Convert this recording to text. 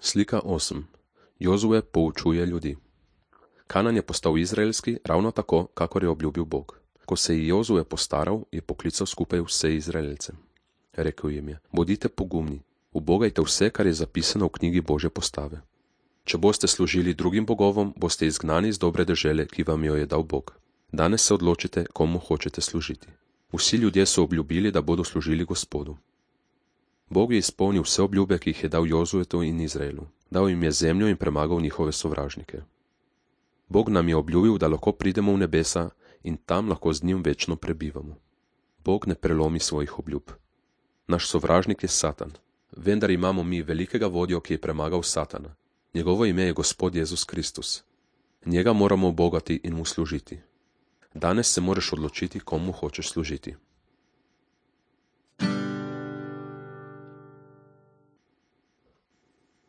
Slika 8. Jozue poučuje ljudi. Kanan je postal izraelski ravno tako, kakor je obljubil Bog. Ko se je Jozue postaral, je poklical skupaj vse Izraelce. Rekel jim je: bodite pogumni, ubogajte vse, kar je zapisano v knjigi Božje postave. Če boste služili drugim bogovom, boste izgnani iz dobre dežele, ki vam jo je dal Bog. Danes se odločite, komu hočete služiti. Vsi ljudje so obljubili, da bodo služili Gospodu. Bog je izpolnil vse obljube, ki jih je dal Jozuetu in Izraelu. Dal jim je zemljo in premagal njihove sovražnike. Bog nam je obljubil, da lahko pridemo v nebesa in tam lahko z njim večno prebivamo. Bog ne prelomi svojih obljub. Naš sovražnik je Satan, vendar imamo mi velikega vodjo, ki je premagal Satana. Njegovo ime je Gospod Jezus Kristus. Njega moramo ubogati in mu služiti. Danes se moraš odločiti, komu hočeš služiti.